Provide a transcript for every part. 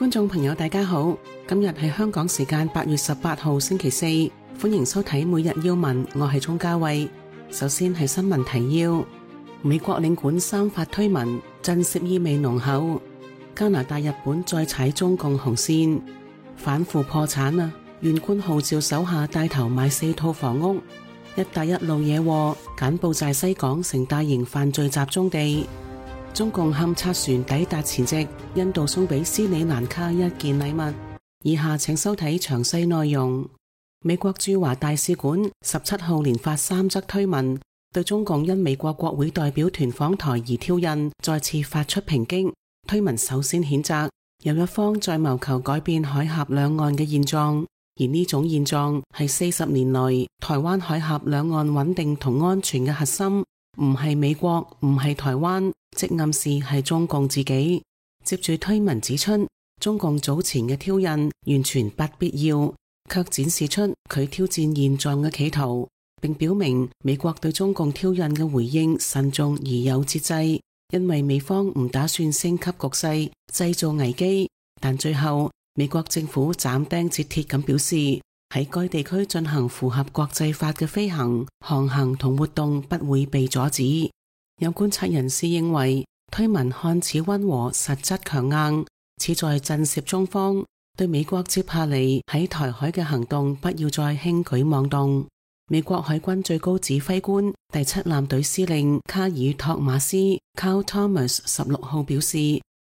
觀眾朋友大家好，今日係香港時間8月18號星期四，歡迎收睇每日要聞，我係鍾嘉慧。首先係新聞提要：美國領館三發推文，震懾意味濃厚；加拿大、日本再踩中共紅線，反腐破產啊！縣官號召手下帶頭買4套房屋。一帶一路惹禍，柬埔寨西港成大型犯罪集中地。中共勘測船抵達前夕，印度送俾斯里蘭卡一件禮物。以下請收睇詳細內容。美國駐華大使館17號連發3則推文，對中共因美國國會代表團訪台而挑釁，再次發出抨擊。推文首先譴責有一方在謀求改變海峽兩岸嘅現狀，而呢種現狀係40年來台灣海峽兩岸穩定同安全嘅核心，唔係美國，唔係台灣，即暗示係中共自己。接住推文指出，中共早前嘅挑釁完全不必要，卻展示出佢挑戰現狀嘅企圖，並表明美國對中共挑釁嘅回應慎重而有節制，因為美方唔打算升級局勢，製造危機。但最後美國政府斬釘截鐵咁表示，喺該地區進行符合國際法嘅飛行、航行同活動不會被阻止。有觀察人士認為，推文看似溫和，實質強硬，似在震懾中方，對美國接下嚟喺台海嘅行動不要再輕舉妄動。美國海軍最高指揮官第7艦隊司令卡爾托馬斯 Carl Thomas 16號表示，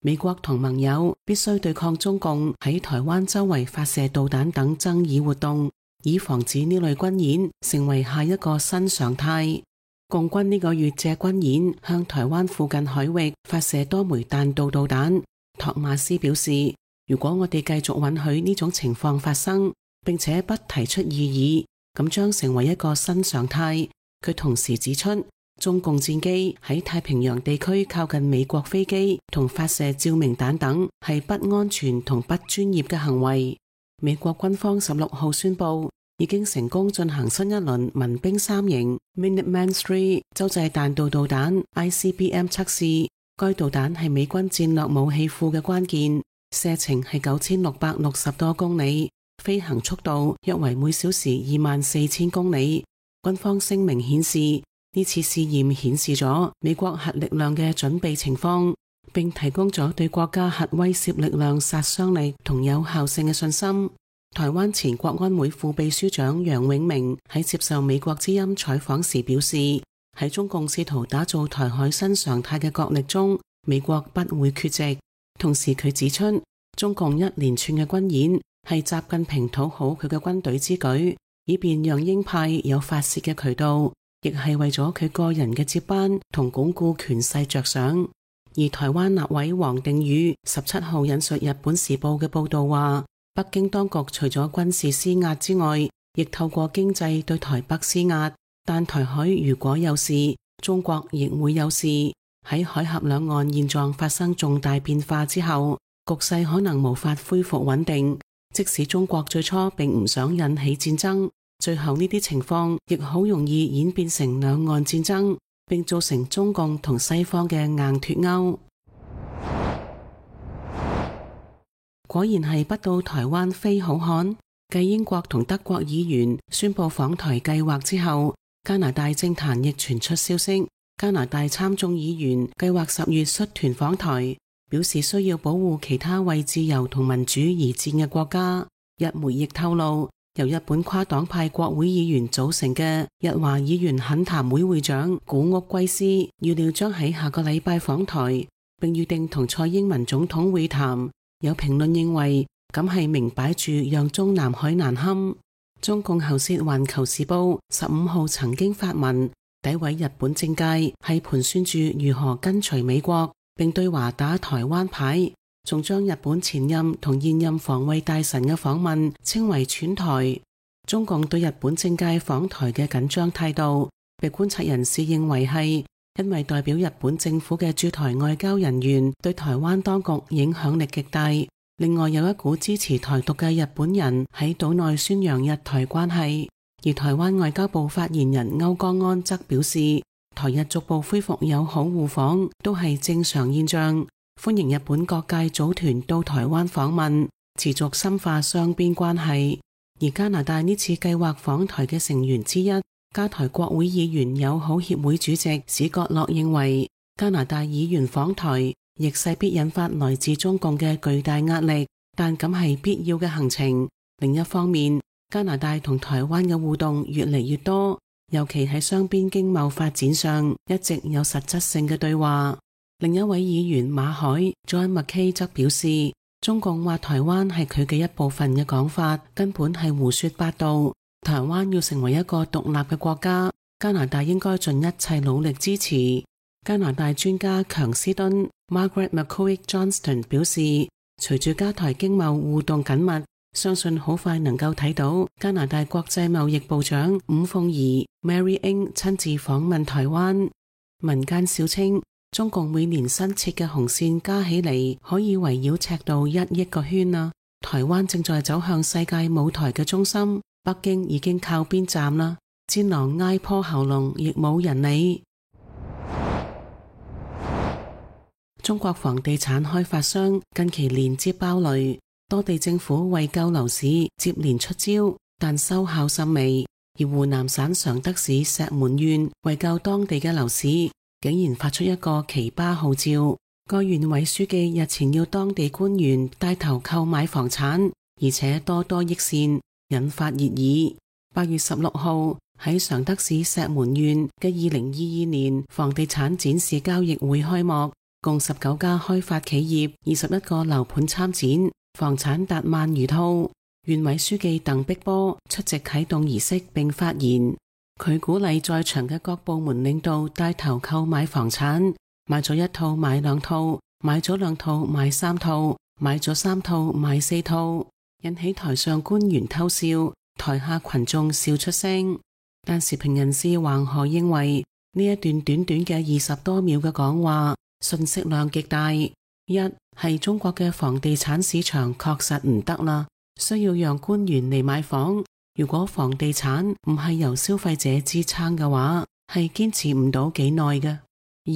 美國同盟友必須對抗中共喺台灣周圍發射導彈等爭議活動，以防止呢類軍演成為下一個新常態。共軍呢個月借軍演向台灣附近海域發射多枚彈道導彈。托馬斯表示，如果我哋繼續允許呢種情況發生，並且不提出異議，咁將成為一個新常態。佢同時指出，中共戰機喺太平洋地區靠近美國飛機同發射照明彈等，係不安全同不專業嘅行為。美國軍方16號宣布，已經成功進行新一輪民兵3型 Minuteman III 洲際彈道導彈 ICBM 測試。該導彈係美軍戰略武器庫嘅關鍵，射程係9660多公里，飛行速度約為每小時24000公里。軍方聲明顯示，呢次試驗顯示咗美國核力量嘅準備情況，並提供咗對國家核威懾力量殺傷力同有效性嘅信心。台灣前國安會副秘書長楊永明喺接受美國之音採訪時表示，喺中共試圖打造台海新常態嘅角力中，美國不會缺席。同時佢指出，中共一連串嘅軍演係習近平討好佢嘅軍隊之舉，以便讓鷹派有發洩嘅渠道，亦係為咗佢個人嘅接班同鞏固權勢着想。而台灣立委王定宇17號引述日本時報嘅報道話，北京當局除咗軍事施壓之外，亦透過經濟對台北施壓。但台海如果有事，中國亦會有事。喺海峽兩岸現狀發生重大變化之後，局勢可能無法恢復穩定。即使中國最初並唔想引起戰爭，最後呢啲情況亦好容易演變成兩岸戰爭，並造成中共同西方嘅硬脫鈎。果然係不到台灣非好漢。繼英國同德國議員宣布訪台計劃之後，加拿大政壇亦傳出消息，加拿大參眾議員計劃10月率團訪台，表示需要保護其他為自由同民主而戰嘅國家。日媒亦透露，由日本跨黨派國會議員組成嘅日華議員懇談會會長古屋圭司預料將喺下個禮拜訪台，並預定同蔡英文總統會談。有評論認為，咁係明擺住讓中南海難堪。中共喉舌環球時報15號曾經發文詆毀日本政界係盤算住如何跟隨美國，並對華打台灣牌，仲將日本前任同現任防衛大臣嘅訪問稱為竄台。中共對日本政界訪台嘅緊張態度，被觀察人士認為係因為代表日本政府嘅駐台外交人員對台灣當局影響力極大。另外有一股支持台獨嘅日本人喺島內宣揚日台關係，而台灣外交部發言人歐江安則表示，台日逐步恢復友好互訪都係正常現象，歡迎日本各界組團到台灣訪問，持續深化雙邊關係。而加拿大呢次計劃訪台嘅成員之一，加台國會議員友好協會主席史葛洛認為，加拿大議員訪台亦勢必引發來自中共嘅巨大壓力，但咁係必要嘅行程。另一方面，加拿大同台灣嘅互動越嚟越多，尤其喺雙邊經貿發展上一直有實質性嘅對話。另一位議員馬海 John McKay 則表示，中共話台灣係佢嘅一部分嘅講法根本係胡說八道。台灣要成為一個獨立嘅國家，加拿大應該盡一切努力支持。加拿大專家強斯敦 Margaret McCoy Johnston 表示，隨住加台經貿互動緊密，相信好快能夠睇到加拿大國際貿易部長伍鳳儀 Mary Ng 親自訪問台灣。民間笑稱，中共每年新設嘅紅線加起嚟可以圍繞赤道1億個圈啊！台灣正在走向世界舞台嘅中心，北京已經靠邊站啦，戰狼挨破喉嚨亦冇人理。中國房地產開發商近期連接爆雷，多地政府為救樓市接連出招，但收效甚微。而湖南省常德市石門縣為救當地嘅樓市，竟然發出一個奇葩號召。該縣委書記日前要當地官員帶頭購買房產，而且多多益善，引發熱議。8月16號喺常德市石門縣嘅2022年房地產展示交易會開幕，共19家開發企業、21個樓盤參展，房產達萬餘套。縣委書記鄧碧波出席啟動儀式並發言，佢鼓勵在場嘅各部門領導帶頭購買房產，買咗1套買2套，買咗2套買3套，買咗3套買4套，引起台上官員偷笑，台下群眾笑出聲。但時評人士黃河認為，呢一段短短嘅20多秒嘅講話，信息量極大。一係中國嘅房地產市場確實唔得啦，需要讓官員嚟買房。如果房地產唔係由消費者支撐嘅話，係堅持唔到幾耐嘅。二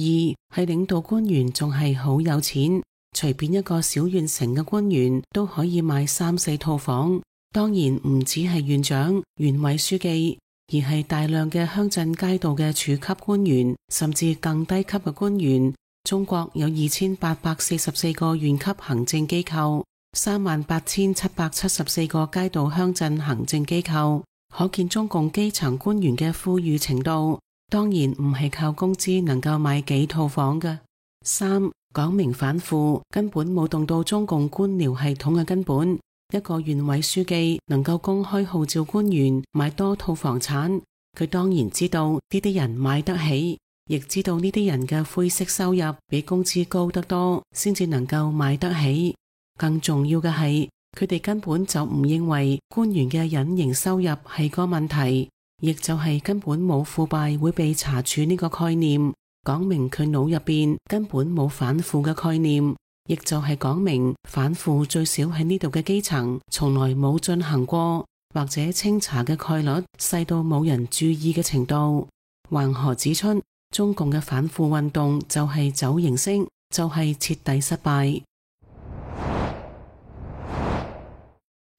係領導官員仲係好有錢，隨便一個小縣城嘅官員都可以買3、4套房。當然唔只係縣長、縣委書記，而係大量嘅鄉鎮街道嘅處級官員，甚至更低級嘅官員。中國有2844個縣級行政機構，38774個街道鄉鎮行政機構，可見中共基層官員嘅富裕程度，當然唔係靠工資能夠買幾套房嘅。三，講明反腐，根本冇動到中共官僚系統嘅根本。一個縣委書記能夠公開號召官員買多套房產，佢當然知道呢啲人買得起，亦知道呢啲人嘅灰色收入比工資高得多，先至能夠買得起。更重要嘅係，佢哋根本就唔認為官員嘅隱形收入係個問題，亦就係根本冇腐敗會被查處呢個概念，講明佢腦入邊根本冇反腐嘅概念，亦就係講明反腐最少喺呢度嘅基層從來冇進行過，或者清查嘅概率細到冇人注意嘅程度。黃河指出，中共嘅反腐運動就係走形式，就係徹底失敗。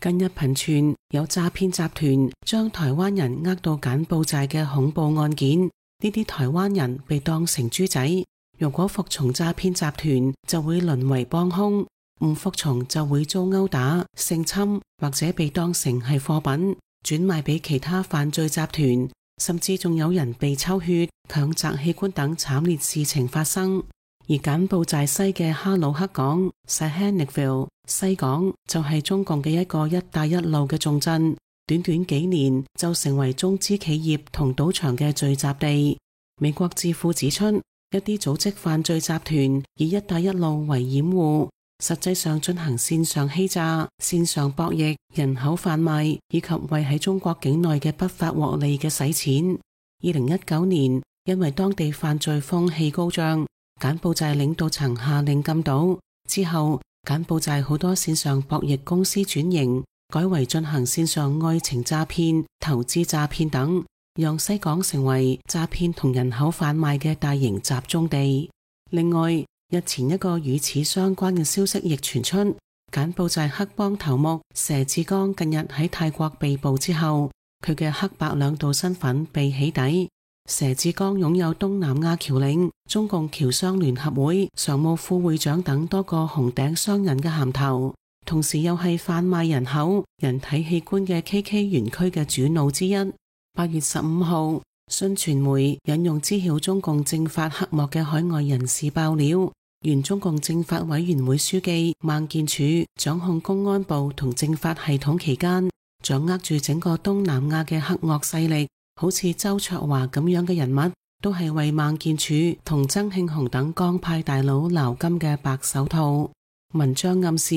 近日頻傳有詐騙集團將台灣人呃到柬埔寨嘅恐怖案件，呢啲台灣人被當成豬仔，如果服從詐騙集團就會淪為幫兇，唔服從就會遭毆打、性侵或者被當成係貨品轉賣俾其他犯罪集團，甚至仲有人被抽血、強摘器官等慘烈事情發生。而柬埔寨西嘅哈魯克港 Sihanoukville 西港就係中共嘅一個一帶一路嘅重鎮，短短幾年就成為中資企業同賭場嘅聚集地。美國智庫指出，一啲組織犯罪集團以一帶一路為掩護，實際上進行線上欺詐、線上博弈、人口販賣以及為喺中國境內嘅不法獲利嘅洗錢。2019年，因為當地犯罪風氣高漲，柬埔寨領導層下令禁賭之後，柬埔寨好多線上博弈公司轉型，改為進行線上愛情詐騙、投資詐騙等，讓西港成為詐騙同人口販賣嘅大型集中地。另外，日前一個與此相關嘅消息亦傳出，柬埔寨黑幫頭目佘志剛近日喺泰國被捕之後，佢嘅黑白兩道身份被起底。佘志剛擁有東南亞僑領、中共僑商聯合會常務副會長等多個紅頂商人嘅銜頭，同時又係販賣人口、人體器官嘅 KK 園區嘅主腦之一。8月15號，信傳媒引用知曉中共政法黑幕嘅海外人士爆料，原中共政法委員會書記孟建柱掌控公安部同政法系統期間，掌握住整個東南亞嘅黑惡勢力，好似周焯華咁樣嘅人物，都係為孟建柱同曾慶紅等江派大佬撈金嘅白手套。文章暗示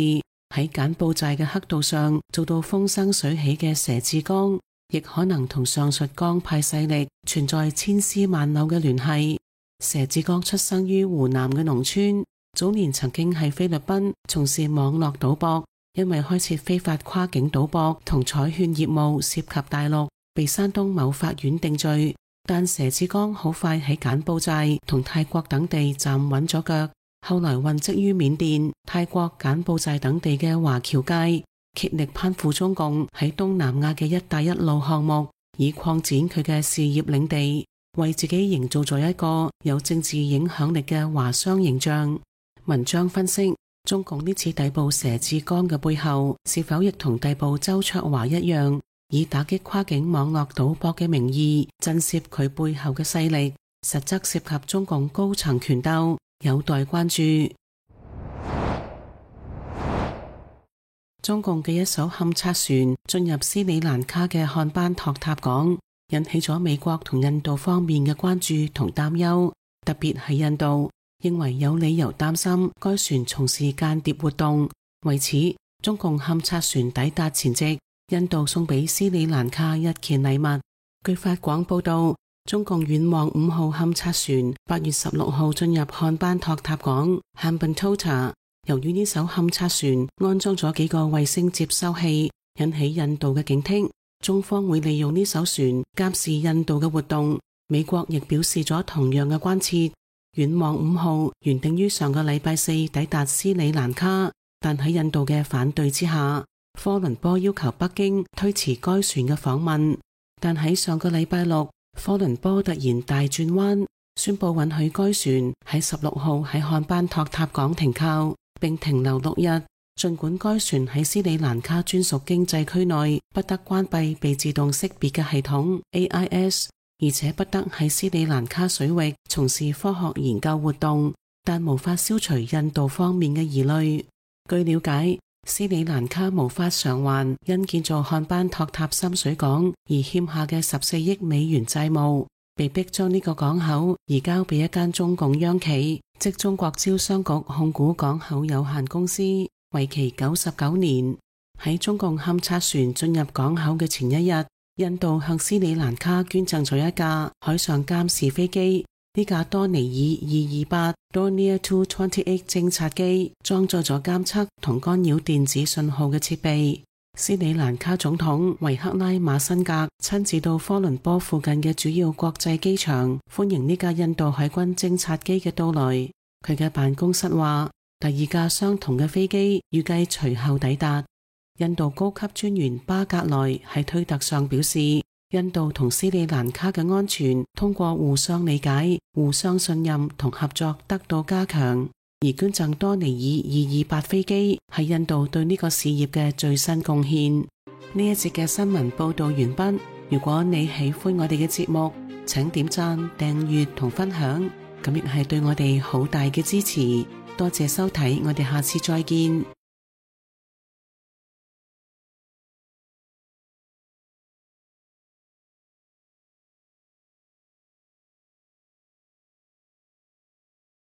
喺柬埔寨嘅黑道上做到風生水起嘅佘志剛，亦可能同上述江派勢力存在千絲萬縷嘅聯繫。佘志剛出生於湖南嘅農村，早年曾經喺菲律賓從事網絡賭博，因為開設非法跨境賭博同彩券業務涉及大陸，被山東某法院定罪。但佘志剛好快喺柬埔寨同泰國等地站穩咗腳，後來混跡於緬甸、泰國、柬埔寨等地嘅華僑界，竭力攀附中共喺東南亞嘅一帶一路項目，以擴展佢嘅事業領地，為自己營造咗一個有政治影響力嘅華商形象。文章分析，中共呢次逮捕佘志剛嘅背後，是否亦同逮捕周焯華一樣，以打擊跨境網絡賭博嘅名義震懾佢背後嘅勢力，實則涉及中共高層權鬥，有待關注。中共嘅一艘勘察船進入斯里蘭卡嘅漢班托塔港，引起咗美國同印度方面嘅關注同擔憂，特別係印度認為有理由擔心該船從事間諜活動。為此，中共勘察船抵達前夕，印度送俾斯里蘭卡一件禮物。據法廣報道，中共遠望5號勘察船8月16號進入漢班托塔港 Hambantota， 由於呢艘勘察船安裝咗幾個衛星接收器，引起印度嘅警惕，中方會利用呢艘船監視印度嘅活動。美國亦表示咗同樣嘅關切。遠望5號原定於上個禮拜四抵達斯里蘭卡，但喺印度嘅反對之下，科倫坡要求北京推遲該船嘅訪問。但喺上個禮拜六，科倫坡突然大轉彎，宣布允許該船喺16號喺漢班托塔港停靠，並停留6日。儘管該船喺斯里蘭卡專屬經濟區內不得關閉被自動識別嘅系統 AIS， 而且不得喺斯里蘭卡水域從事科學研究活動，但無法消除印度方面嘅疑慮。據了解，斯里蘭卡無法償還因建造漢班托塔深水港而欠下嘅14億美元債務，被迫將呢個港口移交俾一間中共央企，即中國招商局控股港口有限公司，為期99年。喺中共勘察船進入港口嘅前一日，印度向斯里蘭卡捐贈咗一架海上監視飛機，呢架多尼爾228 Dornier 228偵察機裝載咗監測同干擾電子信號嘅設備。斯里蘭卡總統維克拉馬辛格親自到科倫坡附近嘅主要國際機場歡迎呢架印度海軍偵察機嘅到來。佢嘅辦公室話，第二架相同嘅飛機預計隨後抵達。印度高級專員巴格萊喺推特上表示，印度同斯里蘭卡嘅安全通過互相理解、互相信任同合作得到加強，而捐贈多尼爾228飛機係印度對呢個事業嘅最新貢獻。呢一節嘅新聞報道完畢。如果你喜歡我哋嘅節目，請點讚、訂閱同分享，咁亦係對我哋好大嘅支持。多謝收睇，我哋下次再見。